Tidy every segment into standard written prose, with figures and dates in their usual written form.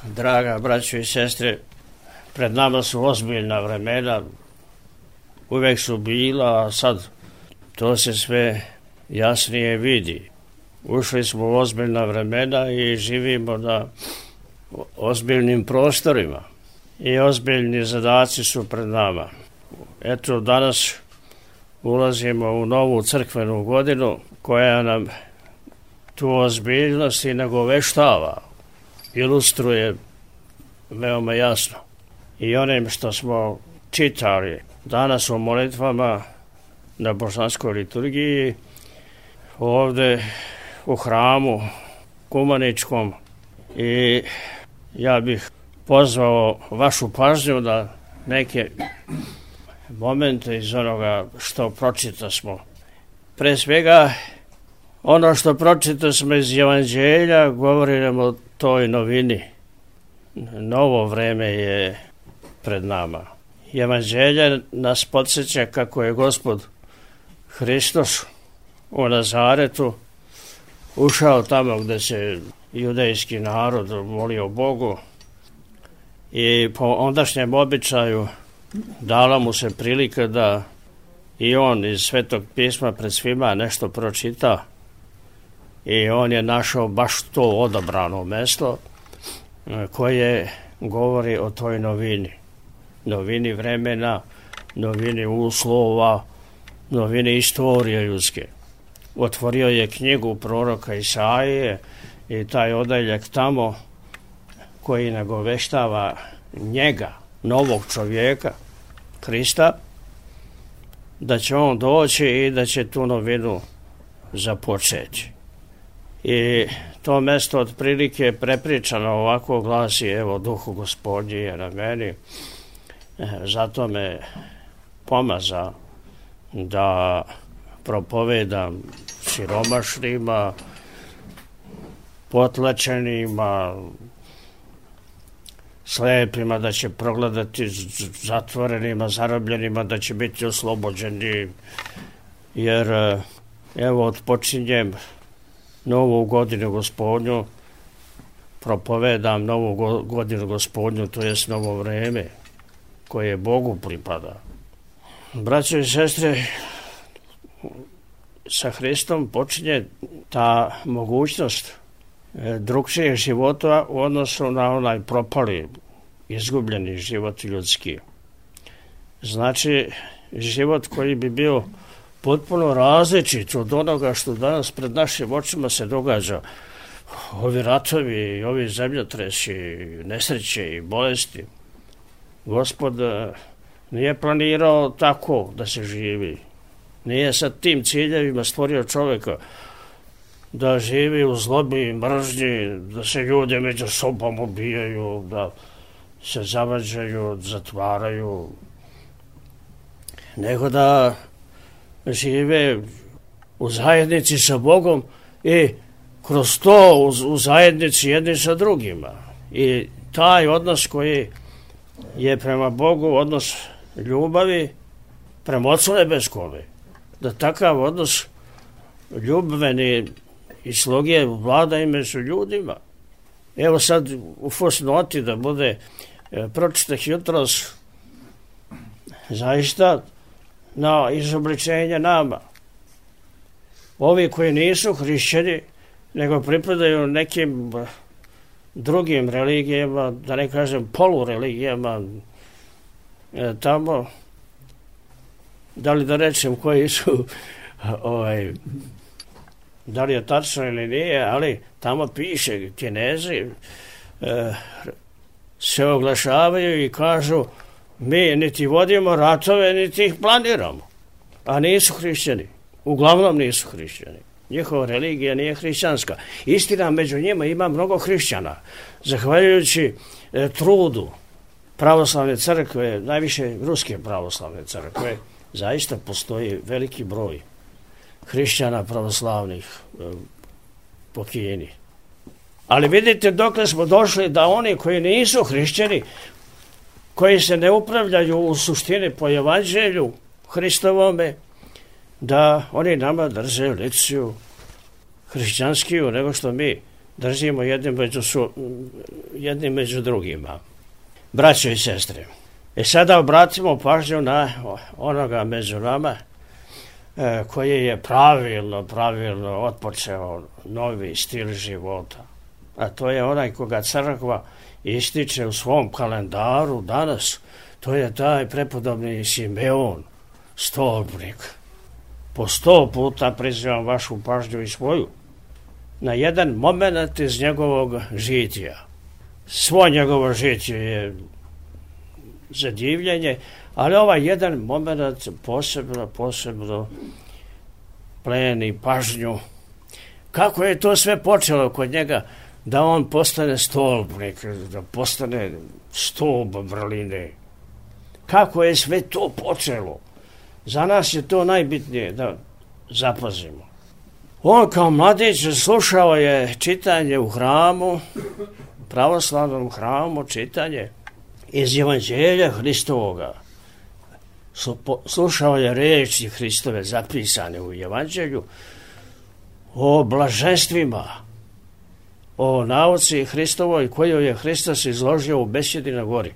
Draga braćo i sestre, pred nama su ozbiljna vremena, uvek su bila, a sad to se sve jasnije vidi. Ušli smo u ozbiljna vremena i živimo na ozbiljnim prostorima i ozbiljni zadaci su pred nama. Eto, danas ulazimo u novu crkvenu godinu koja nam tu ozbiljnost i nagoveštava, ilustruje veoma jasno. I onim što smo čitali danas u molitvama na božanskoj liturgiji, ovde u hramu Kumaničkom, i ja bih pozvao vašu pažnju da neke momente iz onoga što pročitasmo. Pre svega, ono što pročitasmo iz Evanđelja govori nam o toj novini. Novo vreme je pred nama. Evanđelje nas podsjeća kako je Gospod Hristos u Nazaretu ušao tamo gde se judejski narod molio Bogu i po ondašnjem običaju dala mu se prilika da i on iz Svetog pisma pred svima nešto pročita, i on je našao baš to odabrano mesto koje govori o toj novini. Novini vremena, novini uslova, novini istorije ljudske. Otvorio je knjigu proroka Isaije i taj odeljak tamo koji nagoveštava njega, novog čovjeka, Hrista, da će on doći i da će tu novinu započeti. I to mesto otprilike prepričano ovako glasi: evo, Duhu Gospodnji je na meni, zato me pomaza da propovedam siromašnima, potlačenima, slepima da će progledati, zatvorenima, zarobljenima da će biti oslobođeni, jer evo odpočinjem novu godinu Gospodnju, propovedam novu godinu Gospodnju, to jest novo vreme koje Bogu pripada. Braćo i sestre, sa Hristom počinje ta mogućnost drugčijeg života u odnosu na onaj propali, izgubljeni život ljudski. Znači, život koji bi bio potpuno različit od onoga što danas pred našim očima se događa. Ovi ratovi, ovi zemljotresi, nesreće i bolesti. Gospod nije planirao tako da se živi. Nije sa tim ciljevima stvorio čovjeka da živi u zlobi i mržnji, da se ljudi među sobom ubijaju, da se zavađaju, zatvaraju, nego da žive u zajednici sa Bogom i kroz to u zajednici jedni sa drugima. I taj odnos koji je prema Bogu odnos ljubavi prema Otcu nebeskome, da takav odnos ljubveni i sloge vlada i među ljudima. Evo sad u fusnoti da bude pročitah jutros zaista na izobličenje nama. Ovi koji nisu hrišćani, nego pripadaju nekim drugim religijama, da ne kažem polureligijama, tamo, da li da rečem koji su, da li je tačno ili nije, ali tamo piše, Kinezi se oglašavaju i kažu: mi niti vodimo ratove, niti ih planiramo. A nisu hrišćani. Uglavnom nisu hrišćani. Njihova religija nije hrišćanska. Istina, među njima ima mnogo hrišćana. Zahvaljujući trudu pravoslavne crkve, najviše ruske pravoslavne crkve, zaista postoji veliki broj hrišćana pravoslavnih po Kini. Ali vidite dokle smo došli da oni koji nisu hrišćani, koji se ne upravljaju u suštini po Evanđelju Hristovome, da oni nama drže lekciju hrišćanskiju nego što mi držimo jednim među drugima. Braćo i sestre, sada obratimo pažnju na onoga među nama koji je pravilno otpočeo novi stil života. A to je onaj koga crkva ističe u svom kalendaru danas. To je taj prepodobni Simeon, stolpnik. Po 100 puta prizivam vašu pažnju i svoju na jedan moment iz njegovog žitija. Svo njegovo žitje je zadivljenje, ali ovaj jedan moment posebno pleni pažnju. Kako je to sve počelo kod njega da on postane stolpnik, da postane stolp vrline? Kako je sve to počelo? Za nas je to najbitnije da zapazimo. On kao mladić slušao je čitanje u hramu, pravoslavnom hramu, čitanje iz Evanđelja Hristovoga. Slušao je reči Hristove zapisane u Evanđelju o blaženstvima, o nauci Hristovoj koju je Hristos izložio u besjedi na gori.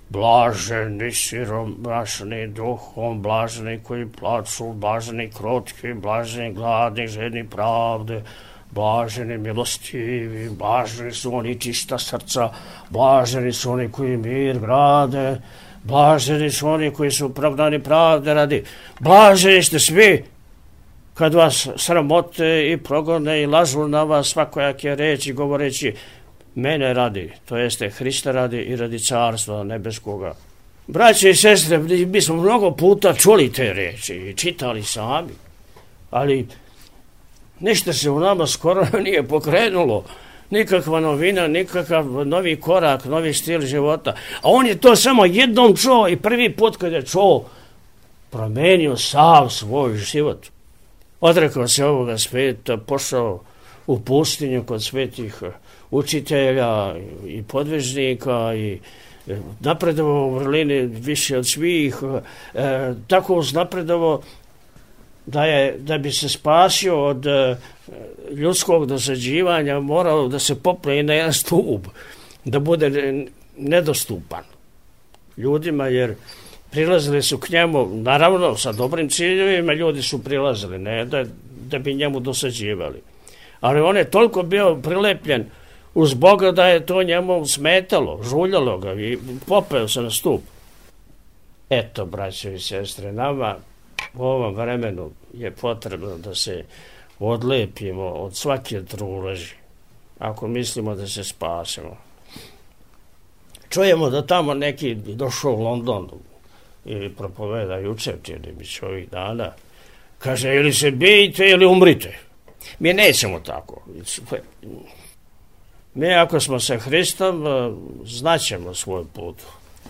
Blaženi siromašni duhom, blaženi koji plaču, blaženi krotki, blaženi gladni, žedni pravde, blaženi milostivi, blaženi su oni čista srca, blaženi su oni koji mir grade, blaženi su oni koji su opravdani pravde radi. Blaženi ste svi kad vas sramote i progone i lažu na vas svakojake reči govoreći mene radi, to jeste Hrista radi i radi carstva nebeskoga. Braće i sestre, mi smo mnogo puta čuli te reči i čitali sami, ali ništa se u nama skoro nije pokrenulo. Nikakva novina, nikakav novi korak, novi stil života. A on je to samo jednom čuo i prvi put kad je čuo, promenio sav svoj život. Odrekao se ovoga sveta, pošao u pustinju kod svetih učitelja i podvižnika i napredovao u vrlini više od svih, tako uznapredovao da bi se spasio od ljudskog dosađivanja, morao da se popne na jedan stup, da bude nedostupan ljudima, jer prilazili su k njemu, naravno sa dobrim ciljevima ljudi su prilazili, ne da bi njemu dosađivali. Ali on je toliko bio prilepljen uz Boga da je to njemu smetalo, žuljalo ga i popeo se na stup. Eto, braćo i sestre, nama u ovom vremenu je potrebno da se odlepimo od svake truleži, ako mislimo da se spasimo. Čujemo da tamo neki došao u Londonu ili propoveda jučer, čini mi se ovih dana, kaže ili se bijte ili umrite. Mi nećemo tako. Mi ako smo sa Hristom, znaćemo svoj put.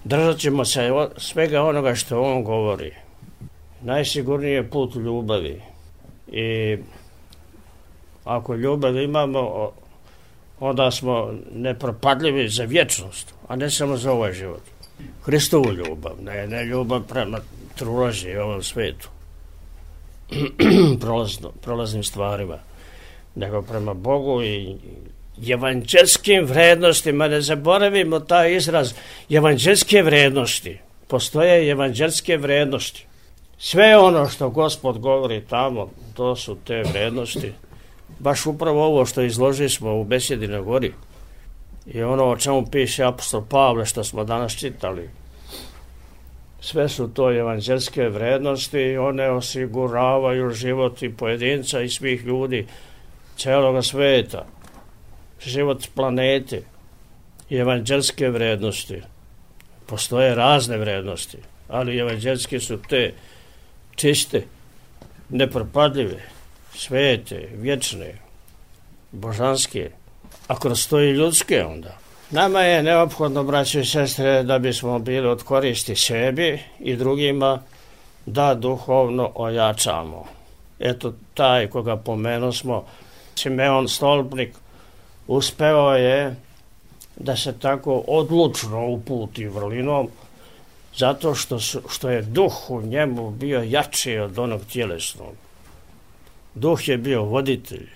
Držat ćemo se svega onoga što on govori. Najsigurniji je put ljubavi. I ako ljubav imamo, onda smo nepropadljivi za vječnost, a ne samo za ovaj život. Hristovu ljubav, ne ljubav prema truleži i ovom svetu, prolaznim stvarima, nego prema Bogu i evanđelskim vrednostima. Ne zaboravimo taj izraz evanđelske vrednosti. Postoje evanđelske vrednosti. Sve ono što Gospod govori tamo, to su te vrednosti. Baš upravo ovo što izložili smo u besjedi na gori i ono o čemu piše apostol Pavle što smo danas čitali. Sve su to evanđelske vrednosti i one osiguravaju život i pojedinca i svih ljudi cijeloga sveta, život planete i evanđelske vrednosti. Postoje razne vrednosti, ali evanđelske su te čiste, nepropadljive, svete, vječne, božanske, a kroz to i ljudske onda. Nama je neophodno, braćo i sestre, da bismo bili od koristi sebi i drugima, da duhovno ojačamo. Eto, taj koga pomenosmo, Simeon Stolpnik, uspeo je da se tako odlučno uputi vrlinom, zato što je duh u njemu bio jači od onog tjelesnog. Duh je bio voditelj,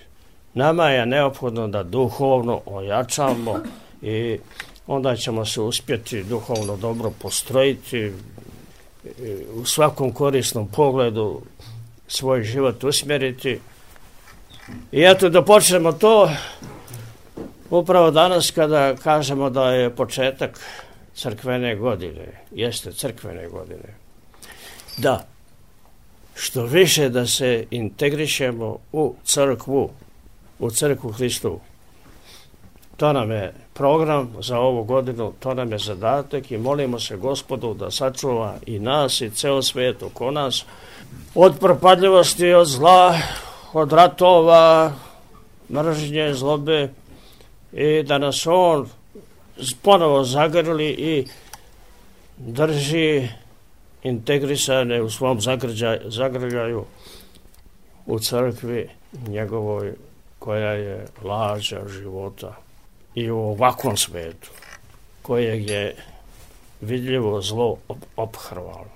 Nama je neophodno da duhovno ojačamo i onda ćemo se uspjeti duhovno dobro postrojiti, u svakom korisnom pogledu svoj život usmjeriti. I eto da počnemo to upravo danas kada kažemo da je početak crkvene godine, jeste crkvene godine. Da, što više da se integrišemo u crkvu Hristovu. To nam je program za ovu godinu, to nam je zadatak i molimo se Gospodu da sačuva i nas i ceo svijet oko nas od propadljivosti, od zla, od ratova, mržnje, zlobe i da nas on ponovo zagrli i drži integrisane u svom zagrljaju u crkvi njegovoj koja je lađa života i u ovakvom svetu kojeg je vidljivo zlo ophrvalo.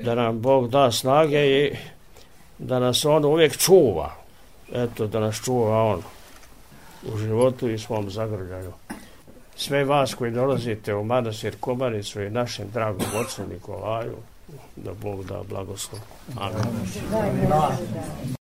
Da nam Bog da snage i da nas on uvijek čuva. Eto, da nas čuva on u životu i svom zagrljaju. Sve vas koji dolazite u manastir Komaricu i našem dragom ocu Nikolaju, da Bog da blagoslov. Amen.